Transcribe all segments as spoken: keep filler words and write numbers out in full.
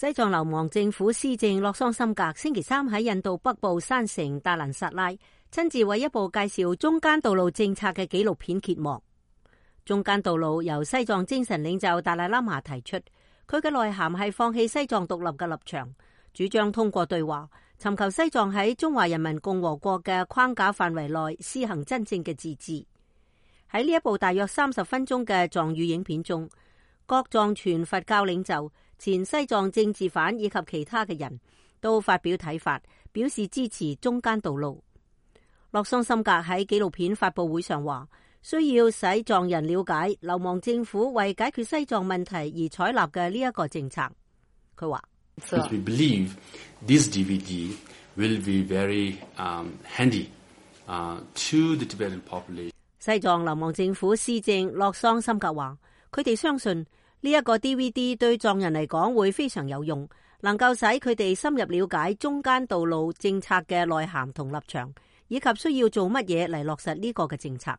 西藏流亡政府司政洛桑森格星期三喺印度北部山城達蘭薩拉親自為一部介紹中間道路政策嘅紀錄片揭幕。中間道路由西藏精神領袖達賴喇嘛提出，佢嘅內涵係放棄西藏獨立嘅立場，主張通過對話尋求西藏喺中華人民共和國嘅框架範圍內施行真正嘅自治。喺呢一部大約三十分鐘嘅藏語影片中，各藏傳佛教領袖、前西藏政治犯以及其他嘅人都發表睇法，表示支持中間道路。洛桑森格喺紀錄片發佈會上話，需要使藏人了解流亡政府為解決西藏問題而採納嘅呢一個政策。佢話：We believe this D V D will be very handy to the Tibetan population。西藏流亡政府司政洛桑森格話，佢哋相信呢一個 D V D 對藏人嚟講會非常有用，能夠使佢哋深入了解中間道路政策嘅內涵同立場，以及需要做乜嘢嚟落實呢個嘅政策。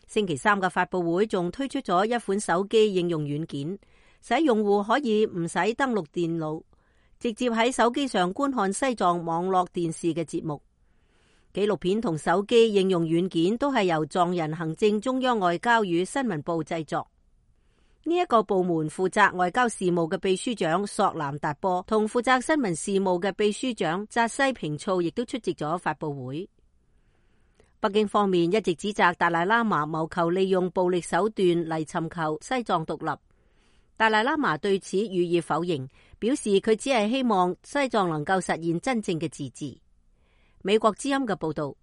星期三嘅發佈會仲推出咗一款手機應用軟件，使用戶可以唔使登錄電腦，直接喺手機上觀看西藏網絡電視嘅節目。紀錄片同手機應用軟件都係由藏人行政中央外交與新聞部製作。呢一個部門負責外交事務嘅秘書長索南達波同負責新聞事務嘅秘書長扎西平措亦都出席咗發佈會。北京方面一直指責達賴喇嘛謀求利用暴力手段嚟尋求西藏獨立。達賴喇嘛對此予以否認，表示佢只係希望西藏能夠實現真正嘅自治。美國之音嘅報道。